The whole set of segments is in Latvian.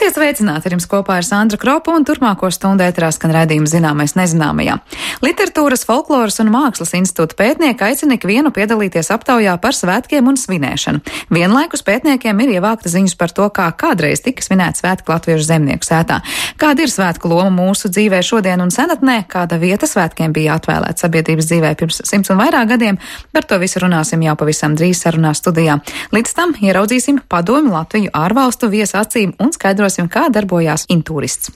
Esiet sveicināti, ar jums kopā ir Sandra Kropa un turpmāko stundu ēterā skan raidījums Zināmais nezināmajā. Literatūras, folkloras un mākslas institūta pētnieki aicina ikvienu piedalīties aptaujā par svētkiem un svinēšanu. Vienlaikus pētniekiem ir ievākta ziņas par to, kā kādreiz tika svinēti svētki Latviešu zemnieku sētā. Kāda ir svētku loma mūsu dzīvē šodien un senatnē, kāda vieta svētkiem bija atvēlēta sabiedrības dzīvē pirms 100 un vairāk gadiem, par to visu runāsim jau pavisam drīz sarunā studijā. Līdz tam ieraudzīsim Padomju Latviju ārvalstu viesu acīm un skaidrosim, kā darbojās Intūrists.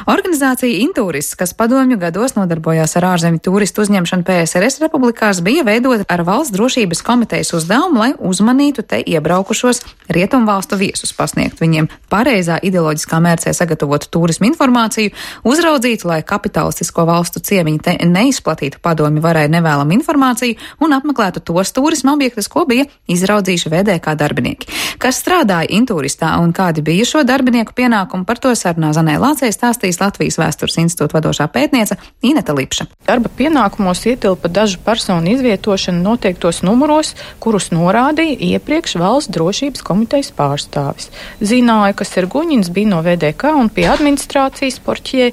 Organizācija Intūrists, kas padomju gados nodarbojās ar ārzemju turistu uzņemšanu PSRS republikās, bija veidota ar Valsts drošības komitejas uzdevumu, lai uzmanītu te iebraukušos rietumvalstu viesus, pasniegt viņiem pareizā ideoloģiskā mērcē sagatavotu turismu informāciju, uzraudzītu, lai kapitalistisko valstu ciemiņi te neizplatītu padomju varai nevēlamu informāciju un apmeklētu tos turisma objektus, ko bija izraudzījuši VDK darbinieki. Kas strādāja Intūristā un kādi bija šo darbinieku pienākumi, par to sarunā Zanē Lācei stāstīs Latvijas Vēstures institūta vadošā pētniece Ineta Lipša. Darba pienākumos ietilpa dažu personu izvietošana noteiktos numuros, kurus norādīja iepriekš Valsts drošības komitejas pārstāvis. Zināja, ka Serguņins bija no VDK un pie administrācijas porķie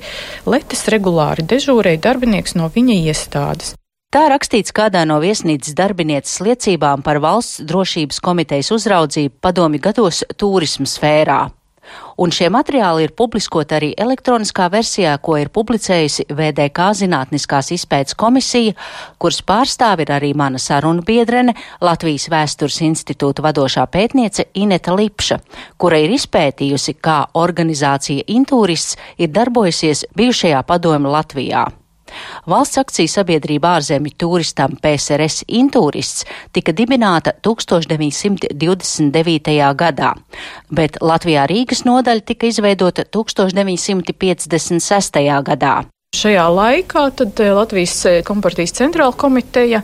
letes regulāri dežūrēja darbinieks no viņa iestādes. Tā rakstīts kādā no viesnīcas darbinieces liecībām par Valsts drošības komitejas uzraudzību padomju gados turisma sfērā. Un šie materiāli ir publiskoti arī elektroniskā versijā, ko ir publicējusi VDK Zinātniskās izpētes komisija, kuras pārstāve ir arī mana sarunu biedrene, Latvijas Vēstures institūta vadošā pētniece Ineta Lipša, kura ir izpētījusi, kā organizācija Intūrists ir darbojusies bijušajā padomju Latvijā. Valsts akciju sabiedrība ārzemju turistam PSRS Intūrists tika dibināta 1929. gadā, bet Latvijā Rīgas nodaļa tika izveidota 1956. gadā. Šajā laikā tad Latvijas kompartijas centrāla komiteja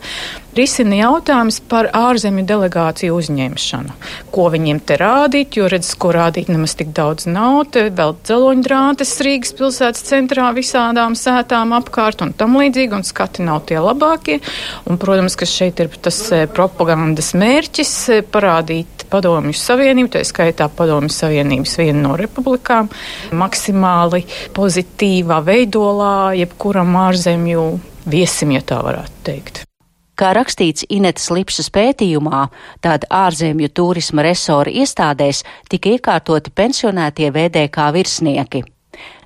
risina jautājums par ārzemju delegāciju uzņemšanu. Ko viņiem te rādīt, jo redz, ko rādīt nemaz tik daudz nav. Te vēl dzeloņdrātes Rīgas pilsētas centrā visādām sētām apkārt un tam līdzīgi, un skati nav tie labākie. Un, protams, ka šeit ir tas propagandas mērķis parādīt Padomju Savienību, tā skaitā Padomju Savienības vienu no republikām, maksimāli pozitīvā veidolā jebkuram ārzemju viesim, ja tā varētu teikt. Kā rakstīts Inetas Lipšas pētījumā, tad ārzemju turisma resora iestādēs tika iekārtoti pensionētie VDK virsnieki.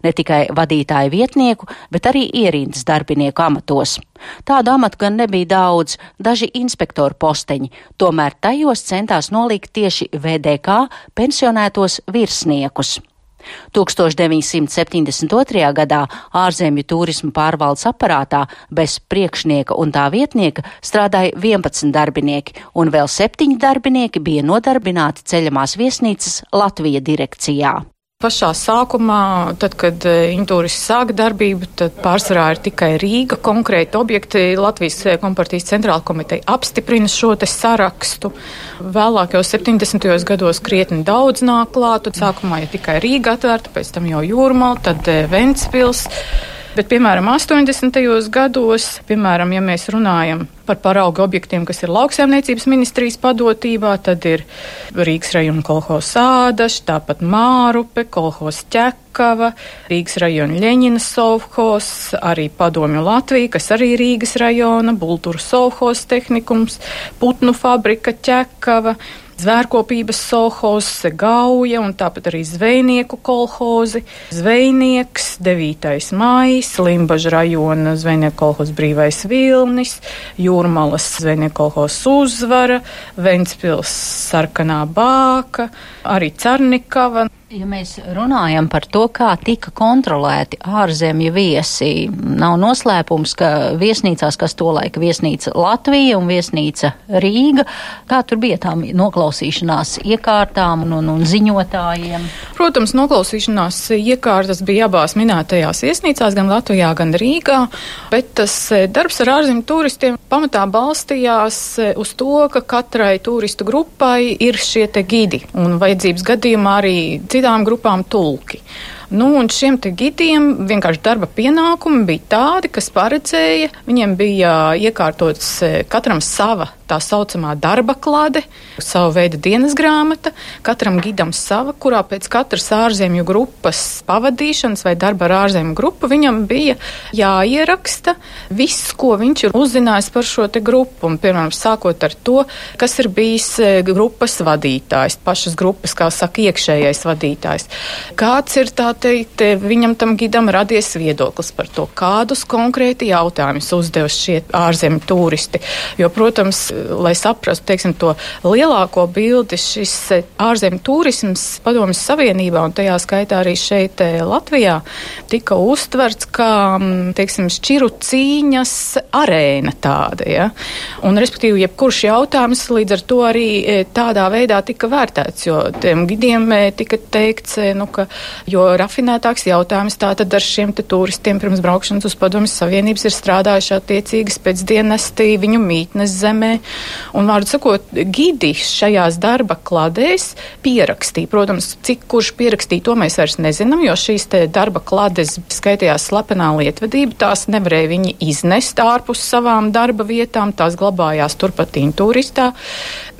Ne tikai vadītāju vietnieku, bet arī ierindas darbinieku amatos. Tādu amatu gan nebija daudz, daži inspektoru posteņi, tomēr tajos centās nolikt tieši VDK pensionētos virsniekus. 1972. gadā ārzemju turisma pārvaldes aparātā bez priekšnieka un tā vietnieka strādāja 11 darbinieki, un vēl 7 darbinieki bija nodarbināti ceļamās viesnīcas Latvija direkcijā. Pašā sākumā, tad, kad Intūrists sāka darbību, tad pārsvarā ir tikai Rīga, konkrēti objekti. Latvijas kompartijas centrāla komiteja apstiprina šo te sarakstu. Vēlāk jau 70. gados krietni daudz nāk klāt, tad sākumā ja tikai Rīga atvērta, pēc tam jau Jūrmala, tad Ventspils. Bet, piemēram, 80. gados, piemēram, ja mēs runājam par paraugu objektiem, kas ir lauksaimniecības ministrijas padotībā, tad ir Rīgas rajona kolhozs Ādaš, tāpat Mārupe, kolhozs Ķekava, Rīgas rajona Ļeņina sovhozs, arī Padomju Latvija, kas arī Rīgas rajona, Bulturu sovhozs tehnikums, Putnu fabrika Ķekava, Zvērkopības sovhozs Gauja un tāpat arī Zvejnieku kolhozi, Zvejnieks, 9. maijs, Limbaža rajona Zvejnieku kolhozs Brīvais Vilnis, Jūrmalas Zvejnieku kolhozs Uzvara, Ventspils Sarkanā Bāka, arī Carnikava. Ja mēs runājam par to, kā tika kontrolēti ārzemju viesi, nav noslēpums, ka viesnīcās, kas tolaik viesnīca Latvija un viesnīca Rīga, kā tur bija tām noklausīšanās iekārtām un ziņotājiem? Protams, noklausīšanās iekārtas bija abās minētajās viesnīcās, gan Latvijā, gan Rīgā, bet tas darbs ar ārzemju turistiem pamatā balstījās uz to, ka katrai turistu grupai ir šie te gidi un vajadzības gadījumā arī citām grupām tulki. Un šiem te gidiem vienkārši darba pienākumi bija tādi, kas paredzēja, viņiem bija iekārtots katram sava tā saucamā darba klade, savu veidu dienas grāmata, katram gidam sava, kurā pēc katras ārzemju grupas pavadīšanas vai darba ar ārzemju grupu viņam bija jāieraksta viss, ko viņš ir uzzinājis par šo te grupu. Un, piemēram, sākot ar to, kas ir bijis grupas vadītājs, pašas grupas, kā saka, iekšējais vadītājs. Kāds ir, tā teikt, viņam tam gidam radies viedoklis par to, kādus konkrēti jautājumus uzdevuši šie ārzemju turisti. Jo, protams, lai saprastu, teiksim, to lielāko bildi, šis ārzemju turisms Padomjas Savienībā un tajā skaitā arī šeit Latvijā tika uztverts kā, teiksim, šķiru cīņas arēna tāda, ja. Un, respektīvi, jebkurš jautājums līdz ar to arī tādā veidā tika vērtēts, jo tiem gidiem tika teikts, ka jo rafinētāks jautājums tātad ar šiem te turistiem pirms braukšanas uz Padomjas Savienības ir strādājuši attiecīgas pēcdienesti viņu mītnes zemē. Un, vārdu sakot, gidi šajās darba kladēs pierakstīja. Protams, cik kurš pierakstīja, to mēs vairs nezinām, jo šīs te darba klades skaitījās slepenā lietvedība, tās nevarēja viņi iznest ārpus savām darba vietām, tās glabājās turpat Intūristā.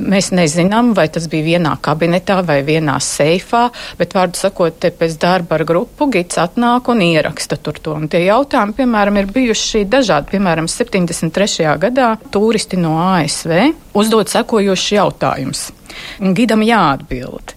Mēs nezinām, vai tas bija vienā kabinetā vai vienā seifā, bet, vārdu sakot, te pēc darba ar grupu gids atnāk un ieraksta tur to. Un tie jautājumi, piemēram, ir bijuši dažādi. Piemēram, 73. gadā turisti no ASV uzdod sekojošs jautājums. Gidam jāatbild.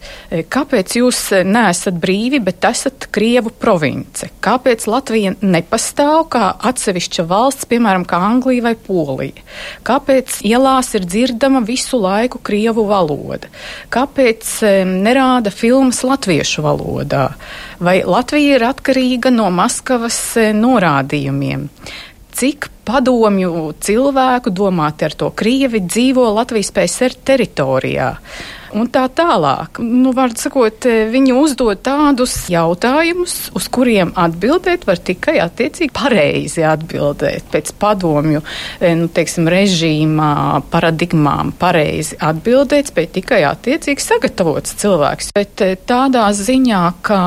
Kāpēc jūs neesat brīvi, bet esat Krievu province? Kāpēc Latvija nepastāv kā atsevišķa valsts, piemēram, kā Anglija vai Polija? Kāpēc ielās ir dzirdama visu laiku Krievu valoda? Kāpēc nerāda filmas latviešu valodā? Vai Latvija ir atkarīga no Maskavas norādījumiem? Cik padomju cilvēku, domāti ar to Krievi, dzīvo Latvijas PSR teritorijā? Un tā tālāk. Vārdu sakot, viņi uzdod tādus jautājumus, uz kuriem atbildēt var tikai attiecīgi pareizi atbildēt. Pēc padomju, teiksim, režīmā, paradigmām pareizi atbildēt, spēj tikai attiecīgi sagatavots cilvēks. Bet tādā ziņā, ka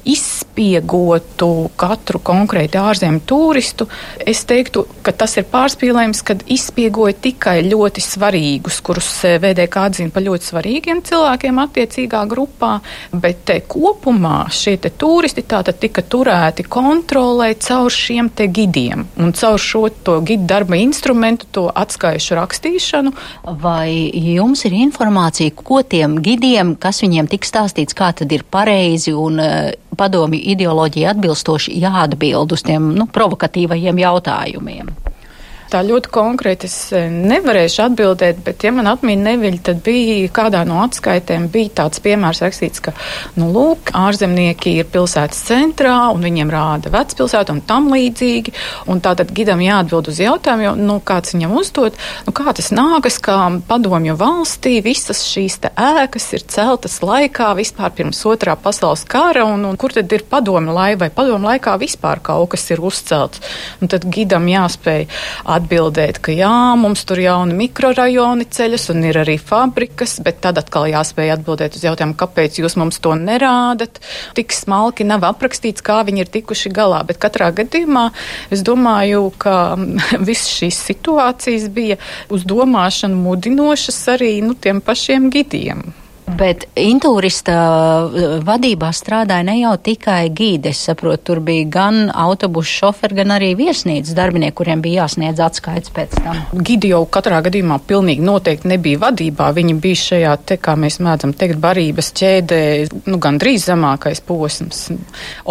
izspiegotu katru konkrēti ārzemju turistu, es teiktu, ka tas ir pārspīlējums, kad izspiegoja tikai ļoti svarīgus, kurus VDK atzina par ļoti svarīgiem cilvēkiem attiecīgā grupā, bet kopumā šie te turisti tātad tika turēti kontrolē caur šiem te gidiem un caur šo to gidu darba instrumentu, to atskaišu rakstīšanu. Vai jums ir informācija, ko tiem gidiem, kas viņiem tik stāstīts, kā tad ir pareizi un padomju ideoloģija atbilstoši jāatbild uz tiem provokatīvajiem jautājumiem? Tā ļoti konkrēti es nevarēšu atbildēt, bet, ja man atmiņa neviļ, tad bija kādā no atskaitēm bija tāds piemērs rakstīts, ka, lūk, ārzemnieki ir pilsētas centrā un viņiem rāda vecpilsētu un tam līdzīgi, un tātad gidam jāatbild uz jautājumu, jo, kāds viņam uzdod, kā tas nākas, kā padomju valstī visas šīs te ēkas ir celtas laikā vispār pirms Otrā pasaules kara, un kur tad ir padomju laikā, vai padomju laikā vispār kaut kas ir uzcelts. Un tad gidam jāspēj atbildēt, ka jā, mums tur jauni mikrorajoni ceļas un ir arī fabrikas, bet tad atkal jāspēj atbildēt uz jautājumu, kāpēc jūs mums to nerādat. Tik smalki nav aprakstīts, kā viņi ir tikuši galā, bet katrā gadījumā es domāju, ka visas šīs situācijas bija uz domāšanu mudinošas arī tiem pašiem gidiem. Bet Intūrista vadībā strādāja ne jau tikai gīdi, es saprotu, tur bija gan autobusu šoferi, gan arī viesnīcas darbinieki, kuriem bija jāsniedz atskaits pēc tam. Gidi jau katrā gadījumā pilnīgi noteikti nebija vadībā, viņi bija šajā te, kā mēs mēdzam teikt, barības ķēdē, gandrīz zemākais posms.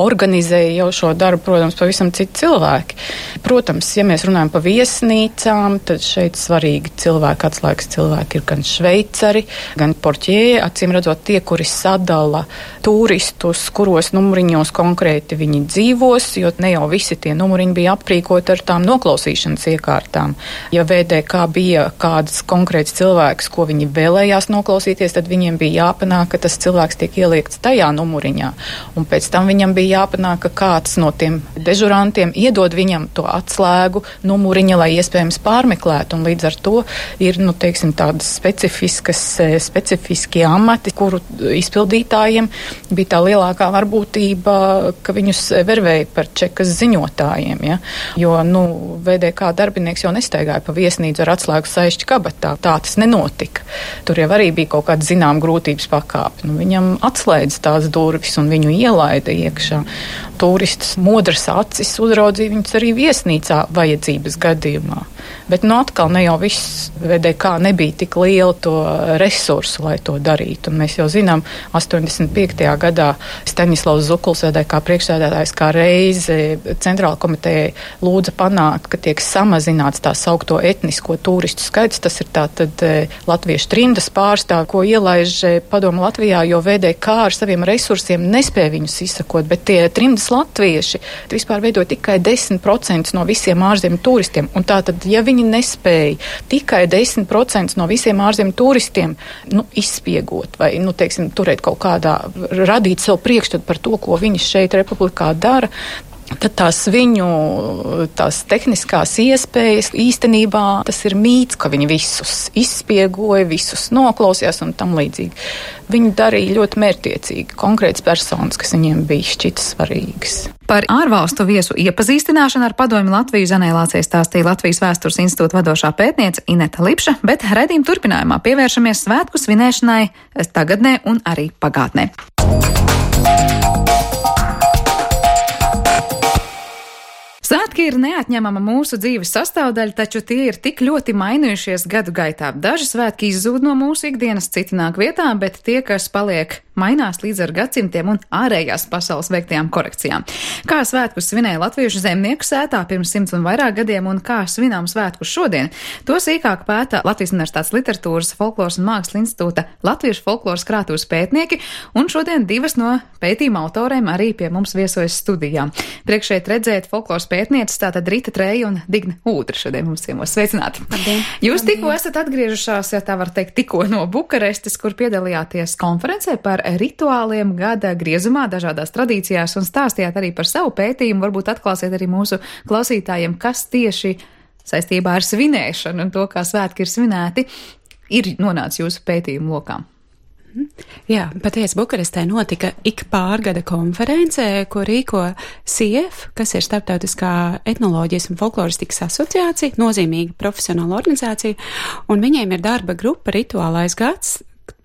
Organizēja jau šo darbu, protams, pavisam citi cilvēki. Protams, ja mēs runājam par viesnīcām, tad šeit svarīgi cilvēki, atslēgas cilvēki ir gan šveicari, gan portjē, acīm redzot tie, kuri sadala turistus, kuros numuriņos konkrēti viņi dzīvos, jo ne jau visi tie numuriņi bija aprīkoti ar tām noklausīšanas iekārtām. Ja VDK bija kāds konkrēts cilvēks, ko viņi vēlējās noklausīties, tad viņiem bija jāpanāk, ka tas cilvēks tiek ieliekts tajā numuriņā. Un pēc tam viņam bija jāpanāk, ka kāds no tiem dežurantiem iedod viņam to atslēgu numuriņa, lai iespējams pārmeklētu. Un līdz ar to ir, teiksim, tādas specifiski amati, amati, kuru izpildītājiem bija tā lielākā varbūtība, ka viņus vervēja par čekas ziņotājiem. Ja? Jo, VDK darbinieks jau nestaigāja pa viesnīcu ar atslēgu saišķi kabatā. Tā tas nenotika. Tur jau arī bija kaut kāda zinām grūtības pakāpe. Viņam atslēdz tās durvis un viņu ielaida iekšā. Turistus modras acis uzraudzīja viņus arī viesnīcā vajadzības gadījumā. Bet atkal ne jau viss VDK nebija tik liela to resursu, lai to darītu. Un mēs jau zinām, 85. gadā Staņislavs Zukuls, VDK priekšsēdētājs, kā reizi centrāla komitejai lūdza panākt, ka tiek samazināts tā saukto etnisko turistu skaits. Tas ir tātad latviešu trimdas pārstāvi, ko ielaiž Padomu Latvijā, jo VDK ar saviem resursiem nespēja viņus izsakot, bet tie trimdas latvieši vispār veido tikai 10% no visiem ārzemju turistiem. Un tātad, ja viņi nespēja tikai 10% no visiem ārzemju turistiem izspiegot vai, turēt kaut kādā, radīt sev priekšstatu par to, ko viņi šeit Republikā dara, tad tās tehniskās iespējas īstenībā tas ir mīts, ka viņi visus izspiegoja, visus noklausījās un tam līdzīgi. Viņi darīja ļoti mērķtiecīgi konkrētas personas, kas viņiem bija šķitas svarīgas. Par ārvalstu viesu iepazīstināšanu ar Padomju Latviju Zanē Lācei stāstīja Latvijas Vēstures institūta vadošā pētniece Ineta Lipša, bet raidījuma turpinājumā pievēršamies svētku svinēšanai tagadnē un arī pagātnē. Svētki ir neatņemama mūsu dzīves sastāvdaļa, taču tie ir tik ļoti mainījušies gadu gaitā. Daži svētki izzūd no mūsu ikdienas, citi nāk vietā, bet tie, kas paliek, mainās līdz ar gadsimtiem un ārējās pasaules veiktajām korekcijām. Kā svētkus svinēja latviešu zemnieku sētā pirms 100 un vairāk gadiem un kā svinām svētkus šodien, to sīkāk pēta Latvijas Universitātes literatūras, folkloras un mākslas institūta latviešu folkloras krātuves pētnieki, un šodien divas no pētījuma autoriem arī pie mums viesojas studijā. Priekš šeit redzēt folkloras pētnieces, tātad Rita Treja un Digne Ūdra šodien mums ciemos. Sveicināti! Labdien. Jūs tikko esat atgriežušās, ja tā var teikt, tikko no Bukarestes, kur piedalījāties konferencē par rituāliem gada griezumā, dažādās tradīcijās, un stāstījāt arī par savu pētījumu. Varbūt atklāsiet arī mūsu klausītājiem, kas tieši saistībā ar svinēšanu un to, kā svētki ir svinēti, ir nonācis jūsu pētījumu lokām. Jā, patiesi Bukarestē notika ik pārgada konference, ko rīko SIEF, kas ir Starptautiskā etnoloģijas un folkloristikas asociācija, nozīmīga profesionāla organizācija, un viņiem ir darba grupa Rituālais gads,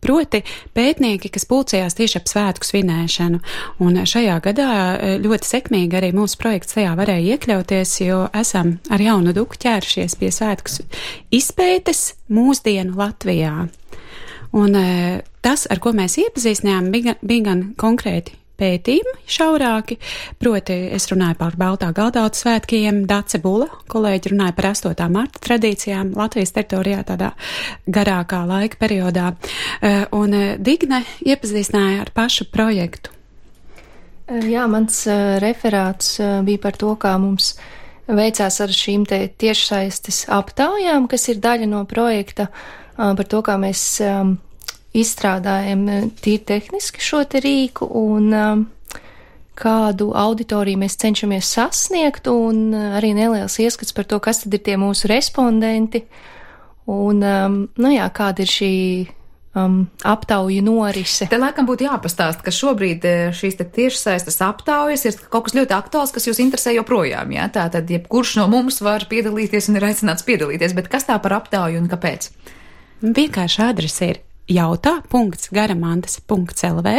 proti pētnieki, kas pulcējās tieši ap svētku svinēšanu. Un šajā gadā ļoti sekmīgi arī mūsu projekts tajā varēja iekļauties, jo esam ar jaunu duku ķērušies pie svētku izpētes mūsdienu Latvijā. Un tas, ar ko mēs iepazīstinājām, bija gan konkrēti pētījumi šaurāki, proti es runāju par Baltā Galdauta svētkiem, Dace Bula, kolēģi runāja par 8. marta tradīcijām Latvijas teritorijā tādā garākā laika periodā, un Digne iepazīstināja ar pašu projektu. Jā, mans referāts bija par to, kā mums veicās ar šīm tiešsaistes aptaujām, kas ir daļa no projekta, par to, kā mēs izstrādājam tīri tehniski šo te rīku un kādu auditoriju mēs cenšamies sasniegt, un arī neliels ieskats par to, kas tad ir tie mūsu respondenti un, kāda ir šī aptauju norise. Te laikam būtu jāpastāst, ka šobrīd šīs te tiešsaistes aptaujas ir kaut kas ļoti aktuāls, kas jūs interesē joprojām, jā? Tātad, jebkurš no mums var piedalīties un ir aicināts piedalīties, bet kas tā par aptauju un kāpēc? Vienkārši adrese ir jautā.garamantas.lv.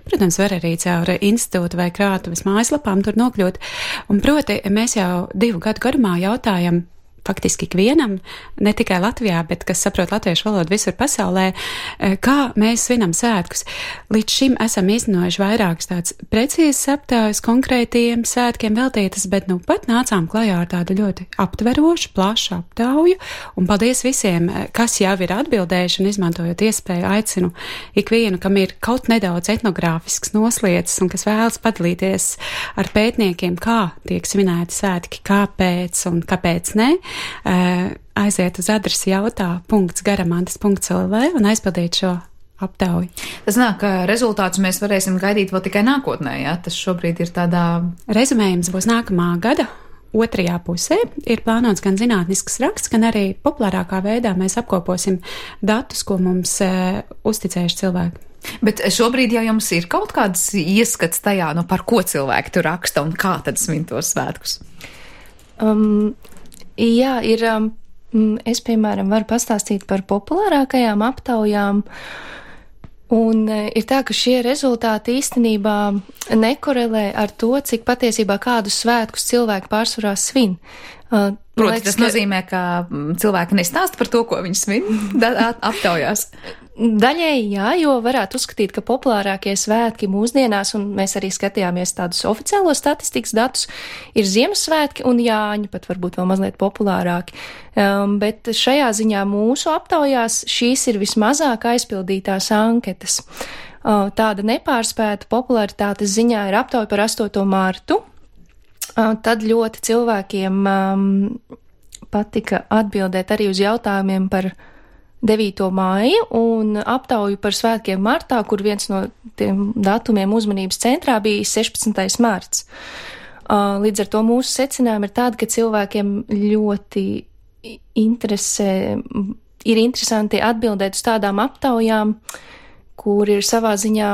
Protams, var arī caur institūtu vai krātuves mājaslapām tur nokļūt. Un proti, mēs jau 2 gadu garumā jautājam faktiski ikvienam, ne tikai Latvijā, bet kas saprot latviešu valodu visur pasaulē, kā mēs svinam svētkus. Līdz šim esam iznājuši vairākas tāds precīzes aptaujas konkrētiem svētkiem veltītas, bet pat nācām klajā ar tādu ļoti aptverošu, plašu aptauju, un paldies visiem, kas jau ir atbildējuši, un izmantojot iespēju aicinu ikvienu, kam ir kaut nedaudz etnogrāfisks nosliecis, un kas vēlas padalīties ar pētniekiem, kā tiek svinēti svētki, kāpēc un kāpēc ne, aiziet uz adresi jautā.garamantas.lv un aizpildīt šo aptauju. Tas nāk, ka rezultātus mēs varēsim gaidīt vēl tikai nākotnē, jā? Tas šobrīd ir tādā... Rezumējums būs nākamā gada otrajā pusē. Ir plānots gan zinātnisks raksts, gan arī populārākā veidā mēs apkoposim datus, ko mums uzticējuši cilvēki. Bet šobrīd jau jums ir kaut kāds ieskats tajā, par ko cilvēki tur raksta un kā tad svin tos svētkus? Jā, ir. Es, piemēram, varu pastāstīt par populārākajām aptaujām. Un ir tā, ka šie rezultāti īstenībā nekorelē ar to, cik patiesībā kādus svētkus cilvēki pārsvarā svin. Proti, tas nozīmē, ka cilvēki nestāsta par to, ko viņi svin aptaujās. Daļēji jā, jo varētu uzskatīt, ka populārākie svētki mūsdienās, un mēs arī skatījāmies tādus oficiālos statistikas datus, ir Ziemassvētki un Jāņi, pat varbūt vēl mazliet populārāki. Bet šajā ziņā mūsu aptaujās šīs ir vismazāk aizpildītās anketas. Tāda nepārspēta popularitātes ziņā ir aptauja par 8. martu. Tad ļoti cilvēkiem patika atbildēt arī uz jautājumiem par 9. māju un aptauju par svētkiem martā, kur viens no tiem datumiem uzmanības centrā bija 16. marts. Līdz ar to mūsu secinājumi ir tādi, ka cilvēkiem ļoti ir interesanti atbildēt uz tādām aptaujām, kur ir savā ziņā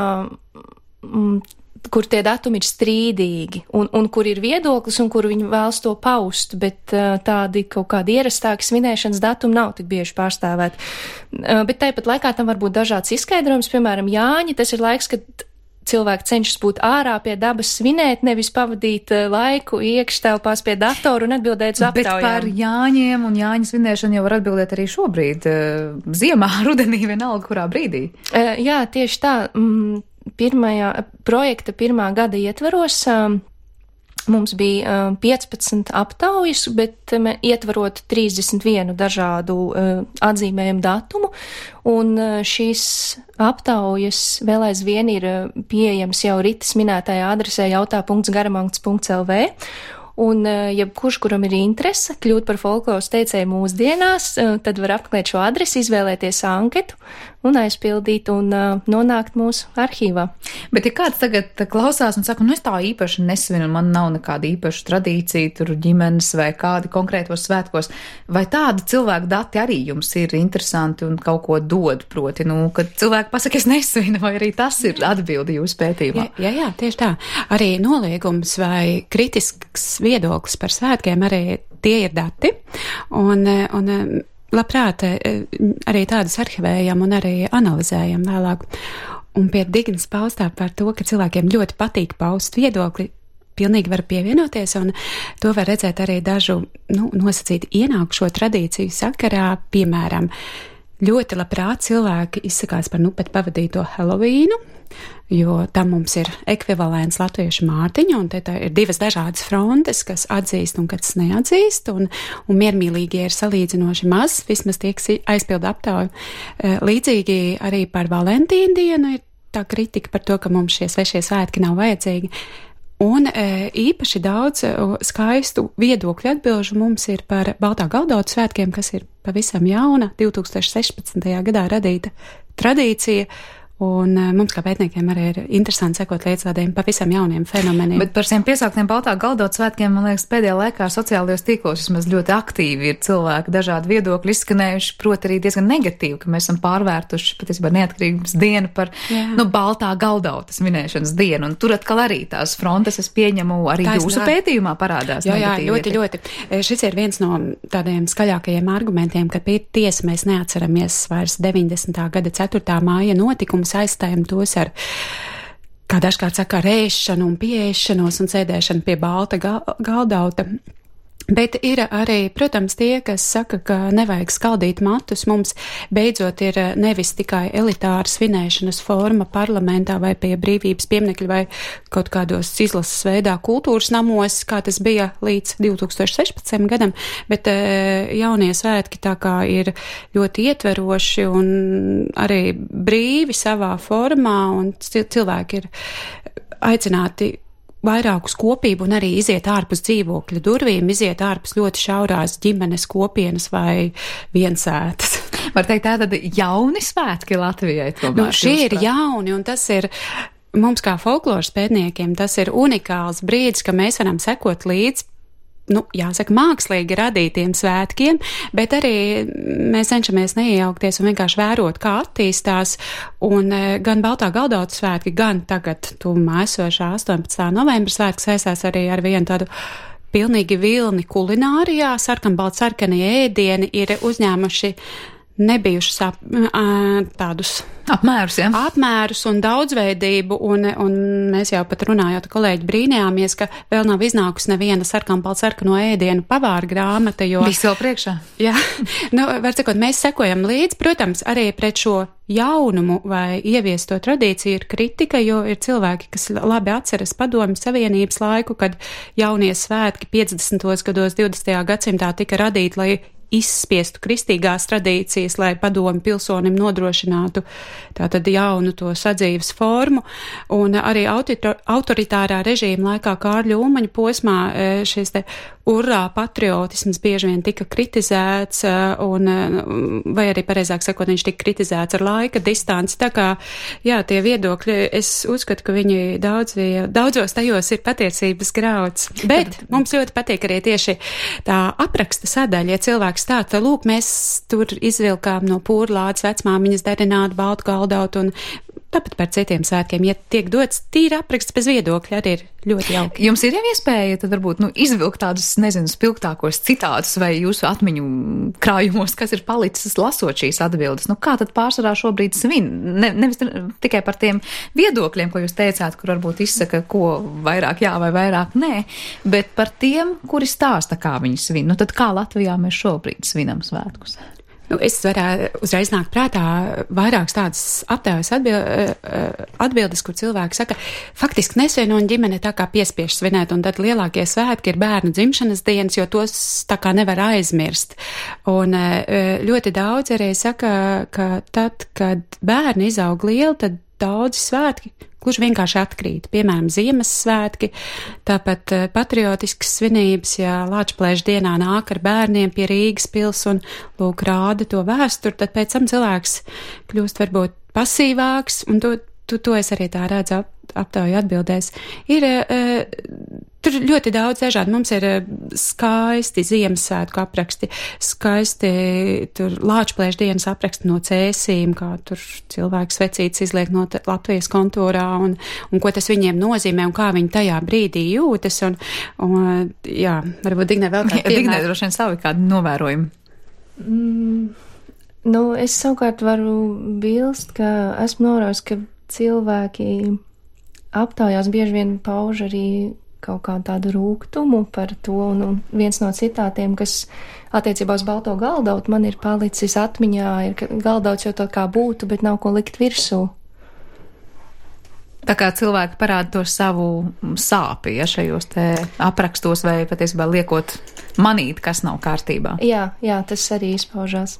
kur tie datumi ir strīdīgi, un kur ir viedoklis, un kur viņi vēlas to paust, bet tādi kaut kādi ierastāki svinēšanas datumi nav tik bieži pārstāvēti. Bet tāpat laikā tam var būt dažāds izskaidrojums, piemēram, Jāņi, tas ir laiks, kad cilvēki cenšas būt ārā pie dabas svinēt, nevis pavadīt laiku iekštelpās pie datoru un atbildēt uz aptaujām. Bet par Jāņiem un Jāņu svinēšanu jau var atbildēt arī šobrīd, ziemā, rudenī, vienalga, kurā brīdī. Jā, tieši tā. Projekta pirmā gada ietveros mums bija 15 aptaujas, bet ietvarot 31 dažādu atzīmējumu datumu, un šīs aptaujas vēl aizvien ir pieejams jau Ritas minētajā adresē jautā.garamangs.lv. Un jebkurš, kuram ir interese kļūt par folkloras teicēju mūsdienās, tad var apmeklēt šo adresi, izvēlēties anketu un aizpildīt un nonākt mūsu arhīvā. Bet ja kāds tagad klausās un saka, es tā īpaši nesvinu, man nav nekāda īpaša tradīcija, tur ģimenes vai kādi konkrētos svētkos, vai tādi cilvēku dati arī jums ir interesanti un kaut ko dod, proti, kad cilvēki pasaka, es nesvinu, vai arī tas ir atbildi jūsu pētījumā? Jā, tieši tā. Arī noliegums vai kritisks viedoklis par svētkiem, arī tie ir dati, un labprāt arī tādus arhivējam un arī analizējam vēlāk. Un pie Dignas paustā par to, ka cilvēkiem ļoti patīk paust viedokli, pilnīgi var pievienoties, un to var redzēt arī dažu, nosacīt ienākušo tradīciju sakarā, piemēram, ļoti labprāt cilvēki izsakās par pēc pavadīto Helovīnu, jo tam mums ir ekvivalents latviešu Mārtiņa, un te ir divas dažādas frontes, kas atzīst un kas neatzīst, un miermīlīgie ir salīdzinoši maz, vismaz tie, kas aizpilda aptauju. Līdzīgi arī par Valentīnu dienu ir tā kritika par to, ka mums šie svešie svētki nav vajadzīgi. Un īpaši daudz skaistu viedokļu atbilžu mums ir par Baltā Galdauta svētkiem, kas ir pavisam jauna, 2016. gadā radīta tradīcija. Un mums kā pētniekiem arī ir interesanti sekot līdz tādiem pavisam jauniem fenomeniem. Bet par šiem piesauktiem Baltā Galdauta svētkiem, man liekas, pēdējā laikā sociālajos tīklos vismaz ļoti aktīvi ir cilvēki dažādi viedokļi izskanējuši, proti arī diezgan negatīvi, ka mēs esam pārvērtuši patiesībā neatkarības dienu par Baltā Galdauta svinēšanas dienu. Un tur atkal arī tās frontes, es pieņemu, arī jūsu pētījumā parādās. Jā, ļoti. Šis ir viens no tādiem skaļākajiem argumentiem, ka tiesa mēs neatceramies vairs 90. gada 4. māja notikumus, aizstājam tos ar, kā dažkārt saka, rēšanu un pieēšanos un sēdēšanu pie Balta Galdauta. Bet ir arī, protams, tie, kas saka, ka nevajag skaldīt matus. Mums beidzot ir nevis tikai elitāra svinēšanas forma parlamentā vai pie brīvības pieminekļa vai kaut kādos izlases veidā kultūras namos, kā tas bija līdz 2016. gadam, bet jaunie svētki tā kā ir ļoti ietveroši un arī brīvi savā formā, un cilvēki ir aicināti vairākus kopību un arī iziet ārpus dzīvokļa durvīm, iziet ārpus ļoti šaurās ģimenes kopienas vai viensētas. Var teikt, tātad jauni svētki Latvijai tomēr. Šie ir jauni, un tas ir mums kā folkloras pētniekiem, tas ir unikāls brīdis, ka mēs varam sekot līdz jāsaka, mākslīgi radītiem svētkiem, bet arī mēs cenšamies neiejaukties un vienkārši vērot, kā attīstās, un gan Baltā Galdauta svētki, gan tagad tuvumā esošā 18. novembra svētki saistās arī ar vienu tādu pilnīgi vilni kulinārijā, sarkanbaltsarkanie ēdieni ir uzņēmuši nebijušas tādus apmērus un daudzveidību, un mēs jau pat runājot kolēģi brīnījāmies, ka vēl nav iznākusi neviena sarkanbaltsarkano ēdienu pavāra grāmata, jo... Viss vēl priekšā. Jā, var sakot, mēs sekojam līdz, protams, arī pret šo jaunumu vai ieviesto tradīciju ir kritika, jo ir cilvēki, kas labi atceras Padomju Savienības laiku, kad jaunie svētki 50. gados 20. gadsimtā tika radīti, lai izspiestu kristīgās tradīcijas, lai padomi pilsonim nodrošinātu tātad jaunu to sadzīves formu, un arī autoritārā režīma laikā Kārļa Ulmaņa posmā šis te urrā patriotisms bieži vien tika kritizēts, vai arī pareizāk sakot, viņš tika kritizēts ar laika distanci, tā kā, jā, tie viedokļi, es uzskatu, ka viņi daudzos tajos ir patiesības grauds, bet mums ļoti patīk arī tieši tā apraksta sadaļa, ja cilvēks stāsta, lūk, mēs tur izvilkām no pūrlādes vecmāmiņas darinātu baltu galdautu un tāpat par citiem svētkiem, ja tiek dots tīri apraksts bez viedokļa, arī ir ļoti jauki. Jums ir jau iespēja tad varbūt, izvilkt tādus, nezinu, spilgtākos citātus vai jūsu atmiņu krājumos, kas ir palicis lasot šīs atbildes. Kā tad pārsvarā šobrīd svin? Nevis tikai par tiem viedokļiem, ko jūs teicāt, kur varbūt izsaka, ko vairāk jā vai vairāk nē, bet par tiem, kuri stāsta, kā viņi svin. Tad kā Latvijā mēs šobrīd svinam svētkus? Es varētu uzreiz nākt prātā vairākas tādas aptaujas atbildes, kur cilvēki saka, faktiski nesvien un ģimene tā kā piespiež svinēt, un tad lielākie svētki ir bērnu dzimšanas dienas, jo tos tā kā nevar aizmirst. Un ļoti daudz arī saka, ka tad, kad bērni izaug lieli, tad daudzi svētki gluži vienkārši atkrīt. Piemēram, Ziemassvētki, tāpat patriotiskas svinības, ja Lāčplēša dienā nāk ar bērniem pie Rīgas pils un lūk rāda to vēsturi, tad pēc tam cilvēks kļūst varbūt pasīvāks, un to es arī tā redzu aptauju atbildēs. Ir tur ļoti daudz dažādi. Mums ir skaisti Ziemassvētku apraksti, skaisti tur Lāčplēša dienas apraksti no cēsīm, kā tur cilvēks vecītis izliek no Latvijas kontūrā un ko tas viņiem nozīmē un kā viņi tajā brīdī jūtas. Un jā, varbūt Dignē vēl kādi piemēri. Dignē droši vien savi kādi novērojumi. Es savukārt varu bilst, ka esmu novērojis, ka cilvēki aptaujās bieži vien pauž arī kaut kā tādu rūgtumu par to, un viens no citātiem, kas attiecībā uz balto galdautu man ir palicis atmiņā, ir, ka galdauts jau tā kā būtu, bet nav ko likt virsū. Tā kā cilvēki parāda to savu sāpi, ja šajos te aprakstos vai patiesībā liekot manīt, kas nav kārtībā. Jā, tas arī izpaužās.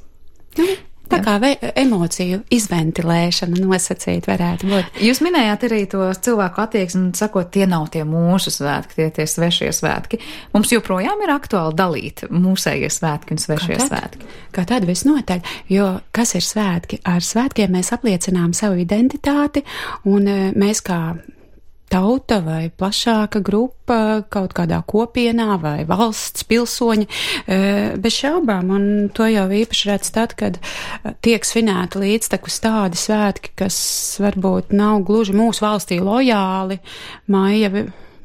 Tā kā emociju izventilēšana nosacīt varētu būt. Jūs minējāt arī to cilvēku attieksmi, sakot, tie nav tie mūsu svētki, tie svešie svētki. Mums joprojām ir aktuāli dalīt mūsējie svētki un svešie svētki. Kā tad visnotaļ, jo kas ir svētki? Ar svētkiem mēs apliecinām savu identitāti, un mēs kā tauta vai plašāka grupa kaut kādā kopienā vai valsts pilsoņi, bez šaubām, un to jau īpaši redz tad, kad tiek svinēti līdztekus tādi svētki, kas varbūt nav gluži mūsu valstī lojāli, maija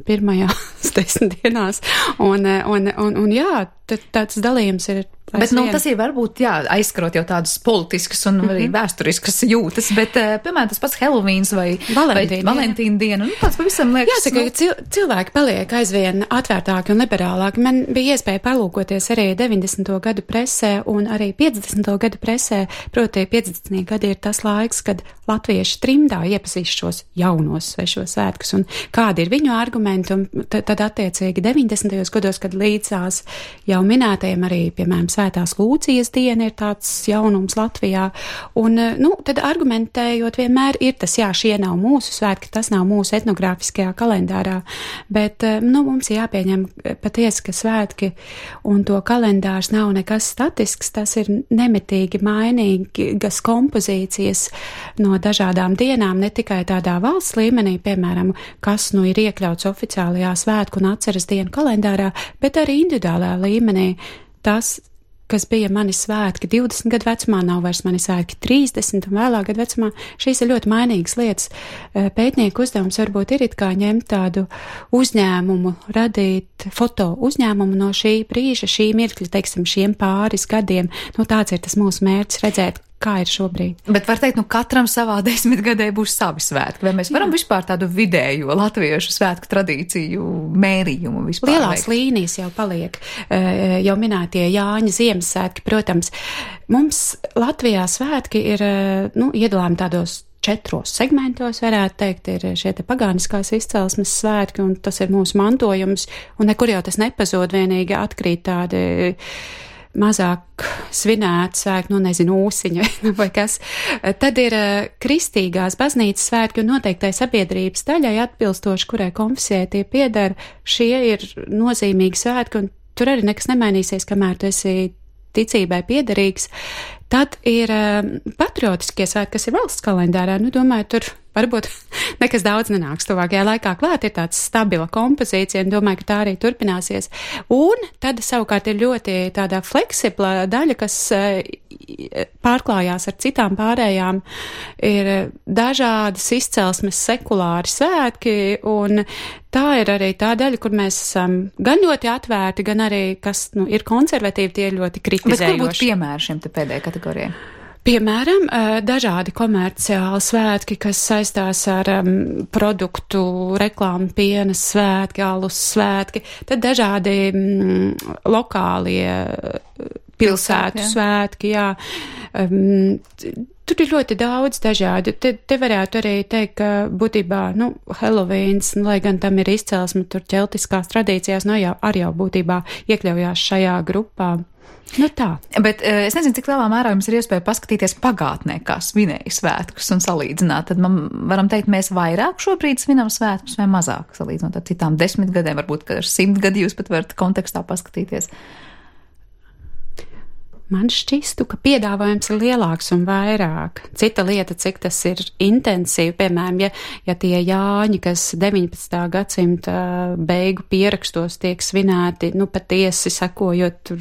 pirmajās 10 dienās, un jā, tāds dalījums ir. Bet tas ir varbūt, aizskarot jau tādas politiskas un arī vēsturiskas jūtas, bet, piemēram, tas pats Helovīns vai Valentīna diena, tāds pavisam liekas. Jāsaka, ka cilvēki paliek aizvien atvērtāki un liberālāki. Man bija iespēja palūkoties arī 90. gadu presē un arī 50. gadu presē, proti 50. gadi ir tas laiks, kad latvieši trimdā iepazīst šos jaunos svešos svētkus un kādi ir viņu argumenti, un tad attiecīgi 90. gados, kad līdzās jau minētajiem arī, piemēram, Svētās Lūcijas diena ir tāds jaunums Latvijā. Un, tad argumentējot vienmēr ir tas, jā, šie nav mūsu svētki, tas nav mūsu etnogrāfiskajā kalendārā, bet, mums ir jāpieņem patiesi, ka svētki un to kalendārs nav nekas statisks, tas ir nemitīgi mainīgas kompozīcijas no dažādām dienām, ne tikai tādā valsts līmenī, piemēram, kas ir iekļauts oficiālajā svētku un atceres dienu kalendārā, bet arī individuālā līmenī. Tas, kas bija mani svētki 20 gadu vecumā, nav vairs mani svētki 30 un vēlāk gadu vecumā. Šīs ir ļoti mainīgas lietas. Pētnieku uzdevums varbūt ir it kā ņemt tādu uzņēmumu, radīt foto uzņēmumu no šī brīža, šī mirkļa, teiksim, šiem pāris gadiem. Tāds ir tas mūsu mērķis redzēt, kā ir šobrīd. Bet var teikt, katram savā 10 gadē būs savi svētki. Vai mēs varam vispār tādu vidējo latviešu svētku tradīciju mērījumu vispār lielās veikt? Līnijas jau paliek, jau minētie Jāņa Ziemassvētki, protams. Mums Latvijā svētki ir, iedalām tādos 4 segmentos, varētu teikt, ir šie te pagāniskās izcelsmes svētki, un tas ir mūsu mantojums, un nekur jau tas nepazod, vienīgi atkrīt tādi mazāk svinēt svētki, ūsiņa vai kas. Tad ir kristīgās baznīcas svētki un noteiktai sabiedrības daļai atbilstoši, kurai konfesijai tie pieder. Šie ir nozīmīgi svētki un tur arī nekas nemainīsies, kamēr tu esi ticībai piederīgs. Tad ir patriotiskie svētki, kas ir valsts kalendārā. Domāju, tur varbūt nekas daudz nenāks tuvākajā laikā klāt, ir tāds stabila kompozīcija, un domāju, ka tā arī turpināsies. Un tad savukārt ir ļoti tādā fleksibla daļa, kas pārklājās ar citām pārējām, ir dažādas izcelsmes sekulāri svētki, un tā ir arī tā daļa, kur mēs esam gan ļoti atvērti, gan arī, kas ir konservatīvi, tie ir ļoti kritizējoši. Bet kur būtu piemēri šiem te pēdējai kategorijai? Piemēram, dažādi komerciāli svētki, kas saistās ar produktu reklāmu, piena svētki, alus svētki, tad dažādi lokālie pilsētu svētki, jā. Tur ir ļoti daudz dažādu. Te varētu arī teikt, ka būtībā, Helovíns, lai gan tam ir izcelsme tur ķeltiskās tradīcijās, arī jau būtībā iekļaujās šajā grupā. Tā. Bet es nezinu, cik lielā mērā jums ir iespēja paskatīties pagātnē, kā svinēja svētkus un salīdzināt. Tad varam teikt, mēs vairāk šobrīd svinam svētkus vai mazāk salīdzinot ar citām 10 gadiem, varbūt, ka ar 100 gadi jūs pat varat kontekstā paskatīties. Man šķistu, ka piedāvājums ir lielāks un vairāk. Cita lieta, cik tas ir intensīvi, piemēram, ja tie Jāņi, kas 19. gadsimta beigu pierakstos tiek svinēti, patiesi sekojot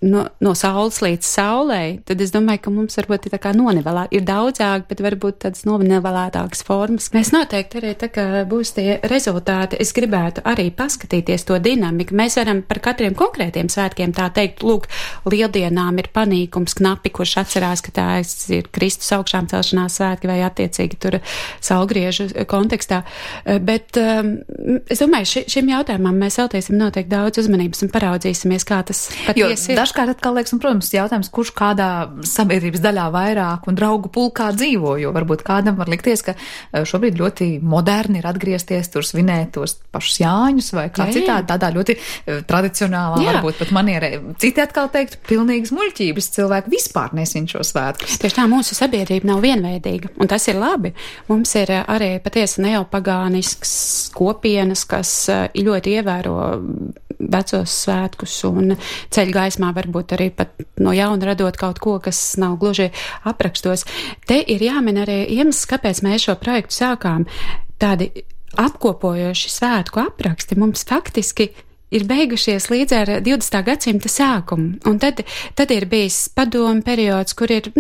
no saules līdz saulei, tad es domāju, ka mums varbūt ir tā kā nonivelēt. Ir daudzāk, bet varbūt tādas nonivelētākas formas. Mēs noteikti arī tā kā būs tie rezultāti. Es gribētu arī paskatīties to dinamiku. Mēs varam par katriem konkrētiem svētkiem tā teikt, lūk, Lieldienām ir panīkums knapi, kurš atcerās, ka tā ir Kristus augšām celšanās svētki vai attiecīgi tur saulgriežu kontekstā. Bet es domāju, šim jautājumam mēs veltīsim noteikti daudz uzmanības un paraudzīsimies, kā tas patiesi ir. Dažkārt atkal liekas, un, protams, jautājums, kurš kādā sabiedrības daļā vairāk un draugu pulkā dzīvo, jo varbūt kādam var likties, ka šobrīd ļoti moderni ir atgriezties tur svinēt tos pašus Jāņus vai kā citādi, tādā ļoti tradicionālā, varbūt pat manierē. Citi atkal teikt, pilnīgas muļķības, cilvēki vispār nesvin šo svētkus. Tieši tā, mūsu sabiedrība nav vienveidīga, un tas ir labi. Mums ir arī patiesi neopagānisks kopienas, kas ļoti ievēro vecos svētkus un ceļ gaismā varbūt arī pat no jauna radot kaut ko, kas nav gluži aprakstos. Te ir jāmin arī iemesls, kāpēc mēs šo projektu sākām. Tādi apkopojoši svētku apraksti mums faktiski ir beigušies līdz ar 20. gadsimta sākumu. Un tad ir bijis padomu periods, kur ir,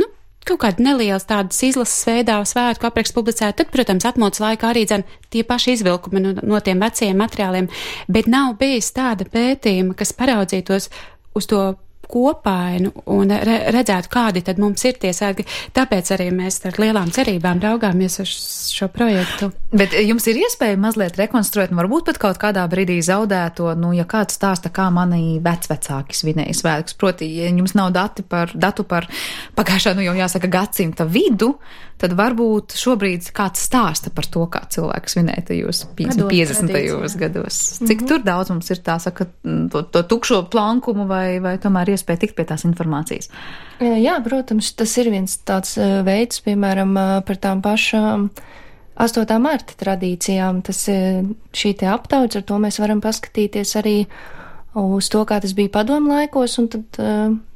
kaut kāda nelielas tādas izlases veidā svētku apraksts publicēt. Tad, protams, atmodas laikā arī tie paši izvilkumi no tiem vecajiem materiāliem, bet nav bijis tāda pētījuma, kas paraudzītos uz to kopainu un redzētu, kādi tad mums ir tie svētki. Tāpēc arī mēs ar lielām cerībām raugāmies uz šo projektu. Bet jums ir iespēja mazliet rekonstruēt, un varbūt pat kaut kādā brīdī zaudēto, ja kāds stāsta, kā mani vecvecāki svinēja svētkus. Proti, ja jums nav datu par pagājušā, jau jāsaka, gadsimta vidu, tad varbūt šobrīd kāds stāsta par to, kā cilvēks svinēja tajos 50. gados. Cik tur daudz mums ir tā, saka, to tukšo plankumu vai tomēr iespēja tikt pie tās informācijas? Jā, protams, tas ir viens tāds veids, piemēram, par tām pašām 8. marta tradīcijām. Tas šī te aptaujas, ar to mēs varam paskatīties arī uz to, kā tas bija padomu laikos, un tad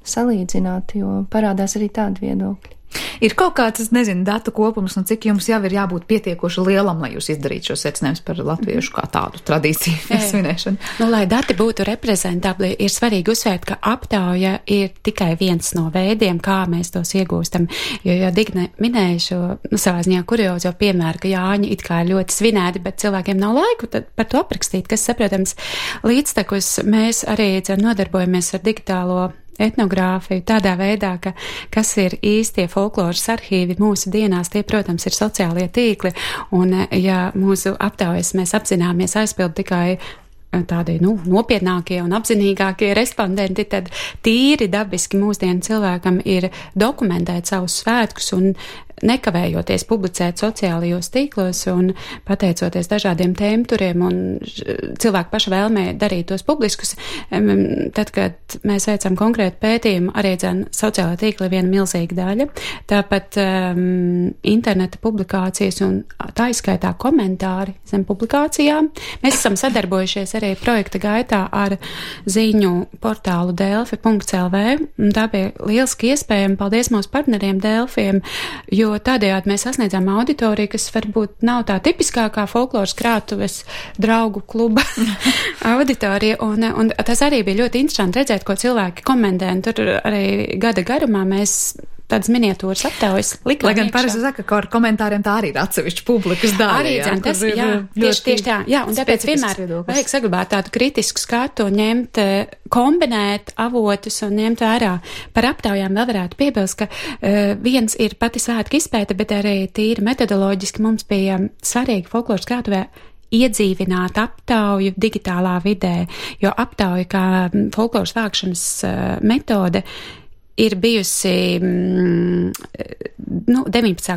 salīdzināt, jo parādās arī tādi viedokļi. Ir kaut kāds, es nezinu, datu kopums, un cik jums jau ir jābūt pietiekoši lielam, lai jūs izdarītu šo secinājumus par latviešu kā tādu tradīciju svinēšanu? Lai dati būtu reprezentabli, ir svarīgi uzsvērt, ka aptauja ir tikai viens no veidiem, kā mēs tos iegūstam. Jo Digne minēja šo savā ziņā kuriozo piemēru, ka Jāņi it kā ļoti svinēti, bet cilvēkiem nav laiku par to aprakstīt, kas saprotams. Līdztekus mēs arī nodarbojamies ar digitālo etnogrāfiju tādā veidā, ka kas ir īstie folkloras arhīvi mūsu dienās, tie, protams, ir sociālie tīkli, un ja mūsu aptaujas mēs apzināmies aizpild tikai tādi, nopietnākie un apzinīgākie respondenti, tad tīri dabiski mūsdienu cilvēkam ir dokumentēt savus svētkus un nekavējoties publicēt sociālajos tīklos un pateicoties dažādiem tēmturiem un cilvēku paša vēlmē darīt tos publiskus. Tad, kad mēs veicam konkrētu pētījumu, arī sociālā tīkla ir viena milzīga daļa. Tāpat interneta publikācijas un tā izskaitā komentāri zem publikācijām. Mēs esam sadarbojušies arī projekta gaitā ar ziņu portālu delfi.lv. Tā bija lieliski iespējama. Paldies mūsu partneriem Delfiem, jo tādējādi mēs sasniedzām auditoriju, kas varbūt nav tā tipiskākā folkloras krātuves draugu kluba auditorija, un tas arī bija ļoti interesanti redzēt, ko cilvēki komentē, un tur arī gada garumā mēs tādas miniatūras aptaujas likām. Lai gan parasti saka, ka ar komentāriem tā arī ir atsevišķa publikas daļa. Arī tas, tieši tā. Jā, un tāpēc vienmēr vajag saglabāt tādu kritisku skatu, ņemt, kombinēt avotus un ņemt vērā. Par aptaujām vēl varētu piebilst, ka viens ir pati svētku izpēta, bet arī tīri metodoloģiski mums bija svarīgi folkloras krātuvē iedzīvināt aptauju digitālā vidē, jo aptauja kā folkloras vākšanas metode ir bijusi 19.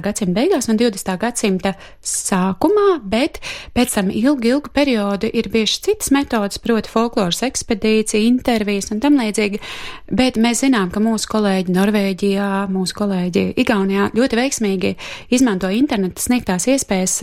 gadsimta beigās un 20. gadsimta sākumā, bet pēc tam ilgu periodu ir bijušas citas metodas, proti folkloras ekspedīcija, intervijas un tam līdzīgi, bet mēs zinām, ka mūsu kolēģi Norvēģijā, mūsu kolēģi Igaunijā ļoti veiksmīgi izmanto interneta sniegtās iespējas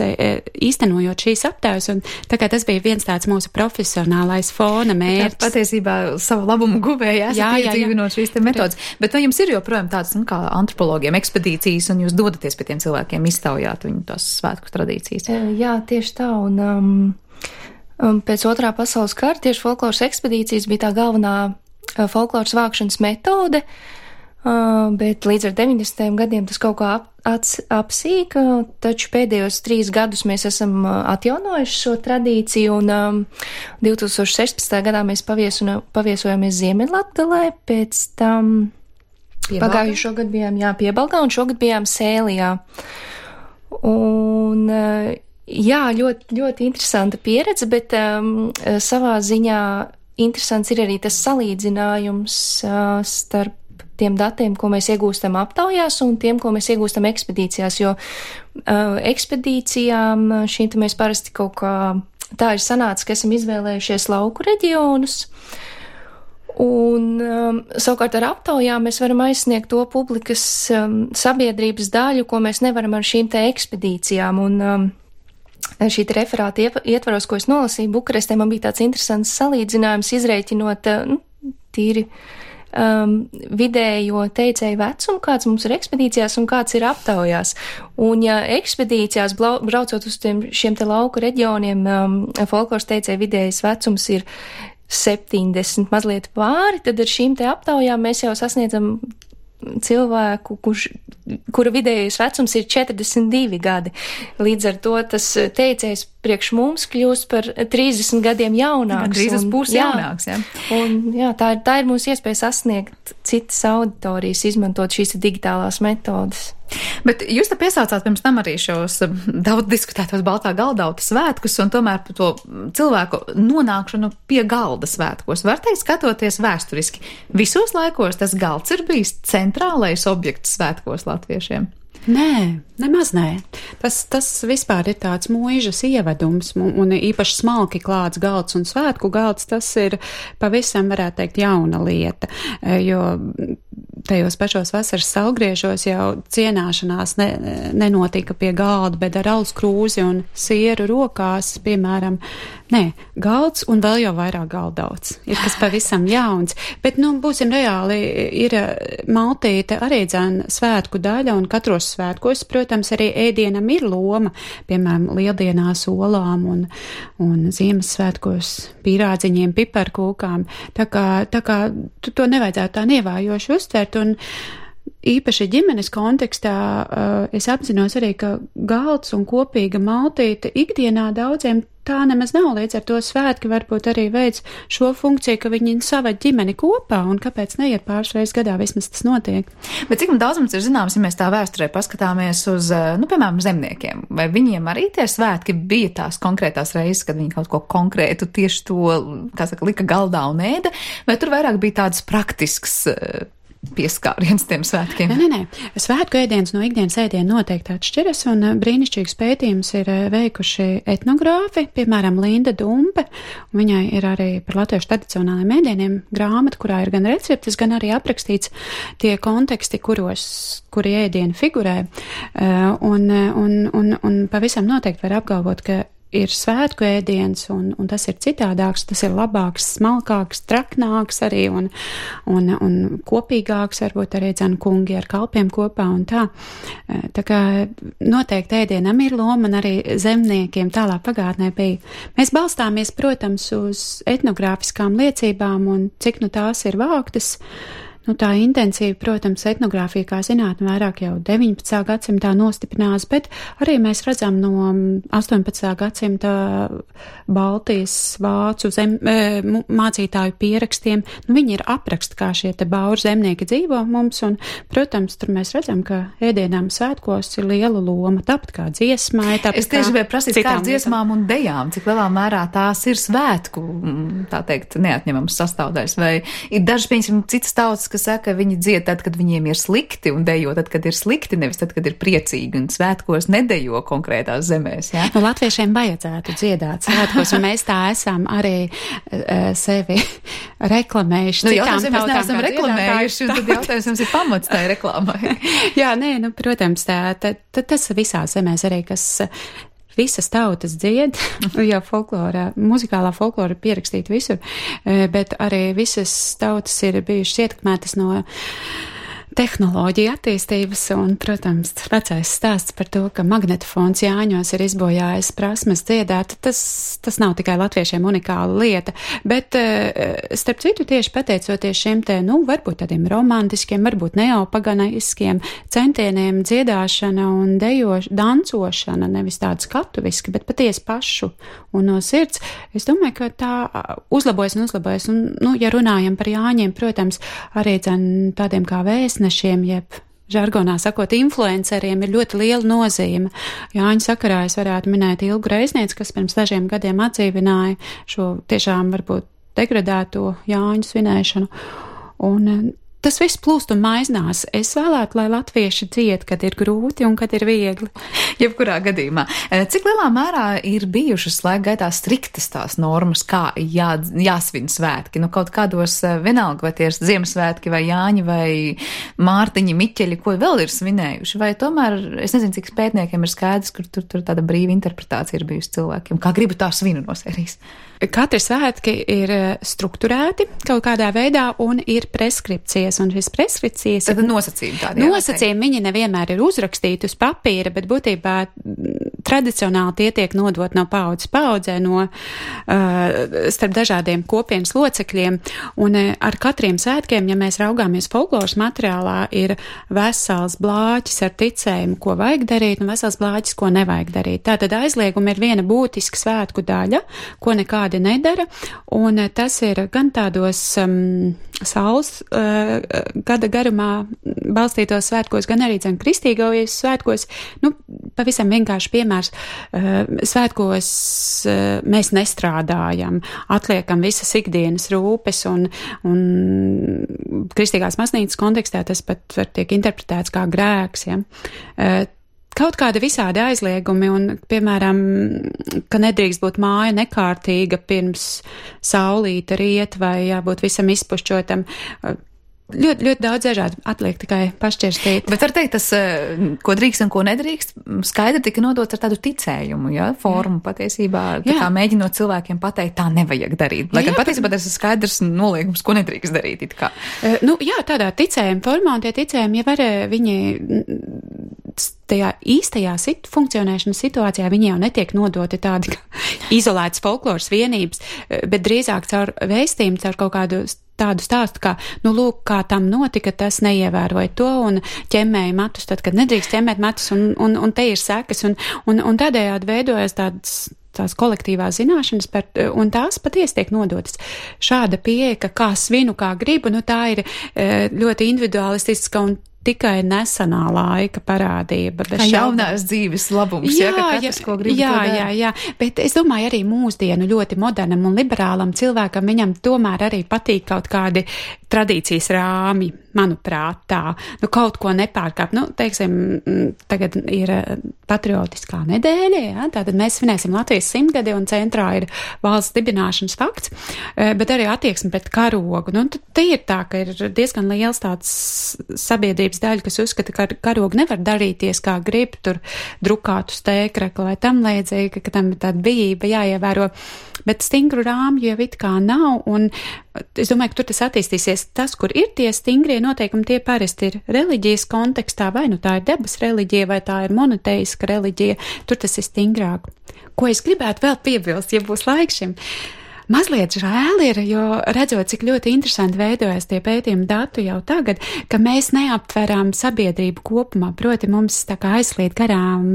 īstenojot šīs aptaujas, un tā kā tas bija viens tāds mūsu profesionālais fona mērķis. Tā patiesībā savu labumu guvēja esat iedzīvinot šīs te metodas. Bet vai jums ir joprojām tādas, kā antropologiem ekspedīcijas, un jūs dodaties pie tiem cilvēkiem, iztaujāt viņu tās svētku tradīcijas? Jā, tieši tā, un pēc Otrā pasaules kara tieši folkloras ekspedīcijas bija tā galvenā folkloras vākšanas metode, bet līdz ar 90. gadiem tas kaut kā apsīka, taču pēdējos 3 gadus mēs esam atjaunojuši šo tradīciju, un 2016. gadā mēs paviesojāmies Ziemeļlatgalē, pēc tam pagājušo gadu bijām Piebalgā, un šogad bijām Sēlijā. Un ļoti, ļoti interesanta pieredze, bet savā ziņā interesants ir arī tas salīdzinājums starp tiem datiem, ko mēs iegūstam aptaujās, un tiem, ko mēs iegūstam ekspedīcijās, jo ekspedīcijām šīm mēs parasti kaut kā tā ir sanācis, ka esam izvēlējušies lauku reģionus, un savukārt ar aptaujām mēs varam aizsniegt to publikas sabiedrības daļu, ko mēs nevaram ar šīm te ekspedīcijām, un šī referāta ietvaros, ko es nolasīju Bukarestē, man bija tāds interesants salīdzinājums, izrēķinot tīri vidējo teicēju vecumu, kāds mums ir ekspedīcijās un kāds ir aptaujās. Un ja ekspedīcijās braucot uz šiem te lauku reģioniem, folkloras teicēju vidējais vecums ir 70 mazliet pāri, tad ar šīm te aptaujām mēs jau sasniedzam cilvēku, kura vidējais vecums ir 42 gadi. Līdz ar to tas teicējs priekš mums kļūst par 30 gadiem jaunāks. Drīz pusi jaunāks, jā. Un jā, tā ir mūsu iespēja sasniegt citas auditorijas, izmantot šīs digitālās metodas. Bet jūs te piesaucāt pirms tam arī šos daudz diskutētos Baltā galdauta svētkus un tomēr par to cilvēku nonākšanu pie galda svētkos. Var teikt, skatoties vēsturiski, visos laikos tas galds ir bijis centrālais objekts svētkos latviešiem? Nē, nemaz nē. Tas vispār ir tāds mūžas ievedums, un īpaši smalki klāts galds un svētku galds, tas ir pavisam, varētu teikt, jauna lieta, jo tajos pašos vasaras saulgriežos jau cienāšanās nenotika pie galda, bet ar alus krūzi un sieru rokās, piemēram, galds un vēl jau vairāk galdauts. Ir kas pavisam jauns, bet, būsim reāli, ir maltīte arī dzēna svētku daļa, un katros svētkos, protams, arī ēdienam ir loma, piemēram, lieldienās olām un Ziemassvētkos pīrādziņiem, piparkūkām. Tā kā to nevajadzētu tā nievājoši uztvert, un īpaši ģimenes kontekstā es apzinos arī, ka galds un kopīga maltīte ikdienā daudziem tā nemaz nav, līdz ar to svētki varbūt arī veids šo funkciju, ka viņi saved ģimeni kopā, un kāpēc neiet pāris reizes gadā, vismaz tas notiek. Bet cik daudz mums ir zināms, ja mēs tā vēsturē paskatāmies uz, piemēram, zemniekiem, vai viņiem arī tie svētki bija tās konkrētās reizes, kad viņi kaut ko konkrētu tieši to, lika galdā un ēda, vai tur vairāk bija tāds praktisks pieskāriens tiem svētkiem? Nē. Svētku ēdiens no ikdienas ēdiena noteikti atšķiras, un brīnišķīgs pētījums ir veikuši etnogrāfi, piemēram, Linda Dumpe, un viņai ir arī par latviešu tradicionālajiem ēdieniem grāmata, kurā ir gan receptes, gan arī aprakstīts tie konteksti, kuri ēdieni figurē, un pavisam noteikti var apgalvot, ka ir svētku ēdiens, un tas ir citādāks, tas ir labāks, smalkāks, traknāks arī, un kopīgāks, varbūt arī dzēn kungi ar kalpiem kopā un tā. Tā kā noteikti ēdienam ir loma, un arī zemniekiem tālāk pagātnē bija. Mēs balstāmies, protams, uz etnogrāfiskām liecībām, un cik tās ir vāktas. Tā intensīva, protams, etnogrāfija kā zinātne vairāk jau 19. gadsimtā nostiprinās, bet arī mēs redzam no 18. gadsimta Baltijas vācu mācītāju pierakstiem. Viņi ir apraksti, kā šie te bauru zemnieki dzīvo mums, un, protams, tur mēs redzam, ka ēdienām svētkos ir liela loma, tāpat kā dziesmai. Es tieši gribēju prasīt, kā ar dziesmām un dejām, cik lielā mērā tās ir svētku, tā teikt, neatņemams sastāvdaļas, vai ir daži, piemēram, citas tautas, kas saka, ka viņi dzied tad, kad viņiem ir slikti, un dejo tad, kad ir slikti, nevis tad, kad ir priecīgi, un svētkos nedejo konkrētās zemēs, jā? Latviešiem vajadzētu dziedāt svētkos, un mēs tā esam arī sevi reklamējuši. Jautājums, ja mēs neesam reklamējuši, un tad jautājums jums ir pamats tai reklāmai. Jā, protams, tas visās zemēs arī, kas visas tautas dzied, jo muzikālā folklora pierakstīta visur, bet arī visas tautas ir bijušas ietekmētas no tehnoloģija attīstības, un, protams, vecais stāsts par to, ka magnetofons Jāņos ir izbojājis prasmes dziedāt, tas nav tikai latviešiem unikāla lieta, bet, starp citu, tieši pateicoties šiem te, varbūt tādiem romantiskiem, varbūt neopaganiskiem centieniem dziedāšana un dancošana, nevis tāda skatuviski, bet patiesi pašu un no sirds, es domāju, ka tā uzlabojas, un, ja runājam par Jāņiem, protams, arī tādiem kā vēstnešiem, jeb žargonā sakot, influenceriem ir ļoti liela nozīme. Jāņu sakarā es varētu minēt Ilgu Reiznieci, kas pirms dažiem gadiem atdzīvināja šo tiešām varbūt degradēto Jāņu svinēšanu. Un tas viss plūst un maiznās. Es vēlētu, lai latvieši dzied, kad ir grūti un kad ir viegli. Jebkurā gadījumā. Cik lielā mērā ir bijušas laika gaitā striktas tās normas, kā jāsvin svētki? Kaut kādos vienalga, vai tie ir Ziemassvētki, vai Jāņi, vai Mārtiņi, Miķeļi, ko vēl ir svinējuši? Vai tomēr, es nezinu, cik pētniekiem ir skaidrs, kur tur tāda brīva interpretācija ir bijusi cilvēkiem. Kā gribu tā svinu no sērijas? Katri svētki ir strukturēti kaut kādā veidā un ir preskripcijas, un šis preskripcijas tad nosacījumi tādi. Nosacījumi viņi nevienmēr ir uzrakstīti uz papīra, bet būtībā tradicionāli tie tiek nodot no paudzes paudzē, starp dažādiem kopienas locekļiem, un ar katriem svētkiem, ja mēs raugāmies folkloras materiālā, ir vesels blāķis ar ticējumu, ko vajag darīt, un vesels blāķis, ko nevajag darīt. Tātad aizliegumi ir viena būtiska svētku daļa, ko nekādi nedara, un tas ir gan tādos saules gada garumā balstītos svētkos, gan arī kristīgajos svētkos. Pavisam vienkārši piemērs. Svētkos mēs nestrādājam, atliekam visas ikdienas rūpes, un kristīgās maznīcas kontekstā tas pat var tiek interpretēts kā grēks, ja. Kaut kādi visādi aizliegumi un, piemēram, ka nedrīkst būt māja nekārtīga pirms saulīta riet vai jābūt visam izpušķotam. Ļoti, ļoti daudz dažādu atliek tikai pašķirstīt. Bet var teikt, tas, ko drīkst un ko nedrīkst, skaidri tika nodots ar tādu ticējumu, ja, formu patiesībā, tā kā mēģinot cilvēkiem pateikt, tā nevajag darīt. Lai gan patiesībā tas ir skaidrs noliegums, ko nedrīkst darīt, it kā. Tādā ticējuma formā, un tie ticējumi jau var viņi tajā īstajā funkcionēšanas situācijā viņi jau netiek nodoti tādi izolētas folkloras vienības, bet drīzāk caur vēstījumu, caur kaut kādu tādu stāstu, kā, lūk, kā tam notika, tas neievēroja to un ķemmēja matus, tad, kad nedrīkst ķemmēt matus, un te ir sekas, un tādējādi veidojas tās kolektīvās zināšanas, un tās patiesi tiek nodotas. Šāda pieeja, ka kā svinu, kā gribu, tā ir ļoti individualistiska un tikai nesenā laika parādība. Kā jaunās dzīves labums, ka katrs, ko grib, to dara. Jā, bet es domāju arī mūsdienu ļoti modernam un liberālam cilvēkam, viņam tomēr arī patīk kaut kādi tradīcijas rāmi, manuprāt, tā. Kaut ko nepārkāpt. Teiksim, tagad ir patriotiskā nedēļa, ja? Tātad mēs svinēsim Latvijas 100-gadi un centrā ir valsts dibināšanas fakts, bet arī attieksme pret karogu. Te ir tā, ka ir diezgan liels tāds sabiedrības daļa, kas uzskata, ka karogu nevar darīties kā grib, tur drukātu stēkrekli vai tam līdzīgi, ka tam ir tāda bijība jāievēro, bet stingru rāmju jau it kā nav, un es domāju, ka tur tas attīstīsies. Tas, kur ir tie stingrie noteikumi, tie parasti ir reliģijas kontekstā, vai tā ir dabas reliģija, vai tā ir monoteiska reliģija, tur tas ir stingrāk. Ko es gribētu vēl piebilst, ja būs laiks šim? Mazliet žēl ir, jo redzot, cik ļoti interesanti veidojas tie pētījumi datu jau tagad, ka mēs neaptveram sabiedrību kopumā, proti mums tā kā aizslīd garām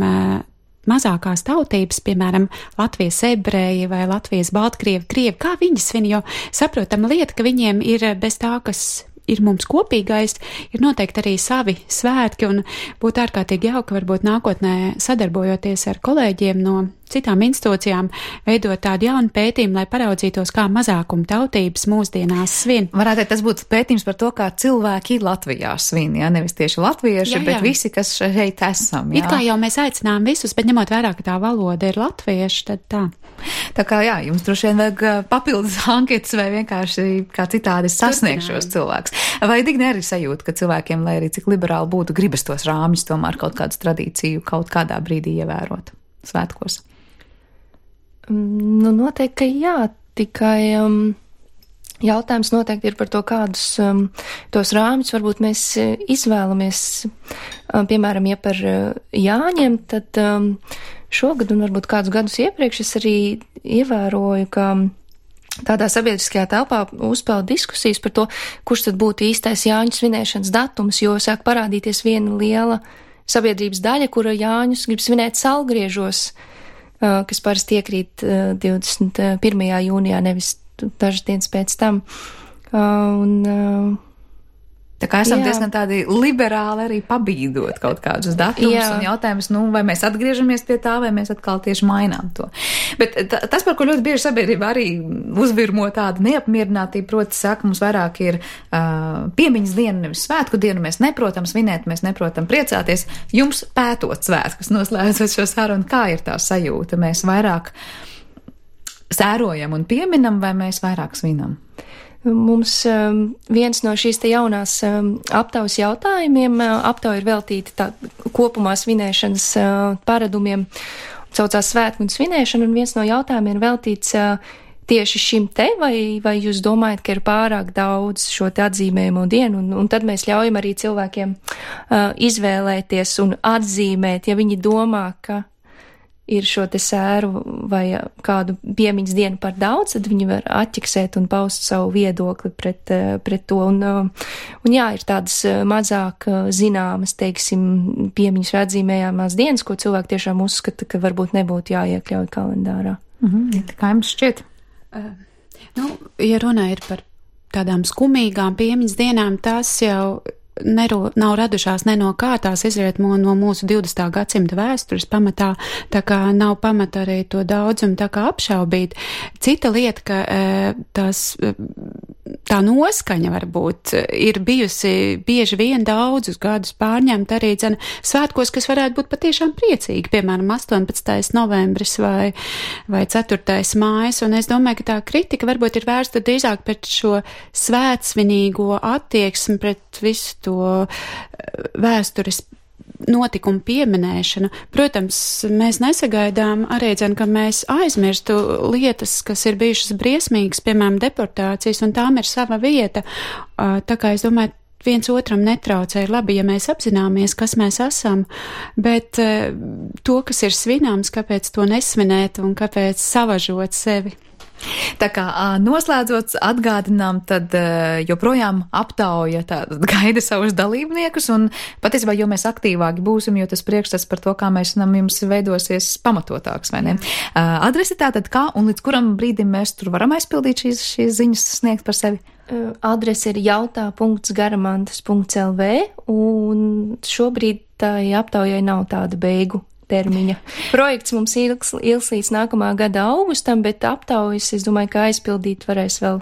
mazākās tautības, piemēram, Latvijas ebreji vai Latvijas baltkrievi, krievi, kā viņi svin, jo saprotama lieta, ka viņiem ir bez tā, kas ir mums kopīgais, ir noteikti arī savi svētki, un būtu ārkārtīgi jauki varbūt nākotnē sadarbojoties ar kolēģiem no citām institūcijām, veidot tādu jaunu pētījumu, lai paraudzītos, kā mazākuma tautības mūsdienās svin. Varētu teikt, tas būtu pētījums par to, kā cilvēki Latvijā svin, ja? Nevis tieši latvieši, bet visi, kas šeit esam. Jā. It kā jau mēs aicinām visus, bet ņemot vērā, ka tā valoda ir latvieši, tad tā. Tā kā jums droši vien vajag papildus anketas vai vienkārši kā citādi sasniegt šos cilvēkus. Vai Digne arī sajūta, ka cilvēkiem, lai arī cik liberāli būtu, gribas tos rāmjus tomēr kaut kādu tradīciju kaut kādā brīdī ievērot svētkos? Noteikti, ka jā, tikai jautājums noteikti ir par to, kādus tos rāmjus varbūt mēs izvēlamies. Piemēram, ja par Jāņiem, tad šogad un varbūt kādus gadus iepriekš es arī ievēroju, ka tādā sabiedriskajā telpā uzpeld diskusijas par to, kurš tad būtu īstais Jāņu svinēšanas datums, jo sāk parādīties viena liela sabiedrības daļa, kura Jāņus grib svinēt salgriežos, kas parasti iekrīt 21. jūnijā, nevis dažas dienas pēc tam. Tā kā esam diezgan tādi liberāli arī pabīdot kaut kādus datumus un jautājumus, vai mēs atgriežamies pie tā, vai mēs atkal tieši mainām to. Bet tas, par ko ļoti bieži sabiedrība arī uzvirmo tādu neapmierinātību, proti saka, mums vairāk ir piemiņas diena, nevis svētku dienu, mēs neprotam svinēt, mēs neprotam priecāties. Jums pētot svētkus, noslēdzot šo sarunu, kā ir tā sajūta? Mēs vairāk sērojam un pieminam, vai mēs vairāk svinam? Mums viens no šīs te jaunās aptaujas jautājumiem, aptauja ir veltīta kopumā svinēšanas paradumiem, saucās svētku un svinēšana, un viens no jautājumiem ir veltīts tieši šim te, vai jūs domājat, ka ir pārāk daudz šo te atzīmējumu dienu, un tad mēs ļaujam arī cilvēkiem izvēlēties un atzīmēt, ja viņi domā, ka ir šo te sēru vai kādu piemiņas dienu par daudz, tad viņi var atķiksēt un paust savu viedokli pret to. Un jā, ir tādas mazāk zināmas, teiksim, piemiņas vai atzīmējāmās dienas, ko cilvēki tiešām uzskata, ka varbūt nebūtu jāiekļauj kalendārā. Kā jums šķiet? Ja runa ir par tādām skumīgām piemiņas dienām, tās jau nav radušās ne no kā, tās izriet no mūsu 20. gadsimta vēstures pamatā, tā kā nav pamata arī to daudzumu tā kā apšaubīt. Cita lieta, ka tā noskaņa varbūt ir bijusi bieži vien daudzus gadus pārņemt arī svētkos, kas varētu būt patiešām priecīgi, piemēram, 18. novembris vai 4. mājas, un es domāju, ka tā kritika varbūt ir vērsta drīzāk pret šo svētsvinīgo attieksmi, pret visu to vēstures notikumu pieminēšanu. Protams, mēs nesagaidām arī, ka mēs aizmirstu lietas, kas ir bijušas briesmīgas, piemēram, deportācijas, un tām ir sava vieta. Tā kā es domāju, viens otram netraucē, ir labi, ja mēs apzināmies, kas mēs esam, bet to, kas ir svināms, kāpēc to nesvinēt un kāpēc savažot sevi. Tā kā noslēdzot atgādinām, tad joprojām aptauja gaida savus dalībniekus, un patiesībā, jo mēs aktīvāki būsim, jo tas priekšstats par to, kā mēs jums veidosies pamatotāks, vai ne? Adrese tātad kā un līdz kuram brīdim mēs tur varam aizpildīt šīs ziņas sniegt par sevi? Adrese ir jautā.garamantas.lv, un šobrīd tai aptaujai nav tāda beigu termiņa. Projekts mums ilgs līdz nākamā gada augustam, bet aptaujas, es domāju, ka aizpildīt varēs vēl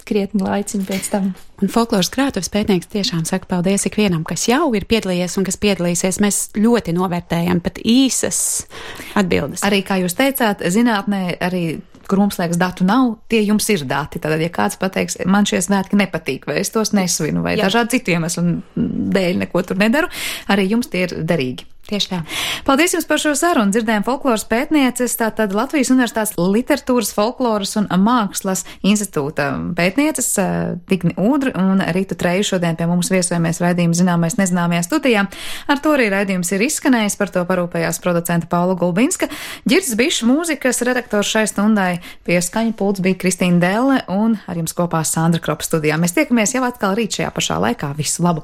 krietni laiciņu pēc tam. Un folkloras krātuves pētnieks tiešām saka paldies ikvienam, kas jau ir piedalījies un kas piedalīsies. Mēs ļoti novērtējam pat īsas atbildes. Arī, kā jūs teicāt, zinātnē arī, kur mums liekas datu nav, tie jums ir dati. Tātad, ja kāds pateiks, man šie svētki nepatīk, vai es tos nesvinu, vai dažādi citu iemeslu dēļ neko tur nedaru, arī jums tie ir derīgi. Tieši tā. Paldies jums par šo sarunu. Dzirdējām folkloras pētnieces, tātad Latvijas Universitātes literatūras, folkloras un mākslas institūta pētnieces Digni Ūdri un Rītu Treju šodien pie mums viesojamies raidījuma Zināmais nezināmajā studijā. Ar to arī raidījums ir izskanējis, par to parūpējās producenta Paula Gulbinska. Ģirds Bišs mūzikas redaktors šai stundai, pie skaņa pults bija Kristīna Delle un ar jums kopā Sandra Kropa studijā. Mēs tiekamies jau atkal rīt šajā pašā laikā. Visu labu!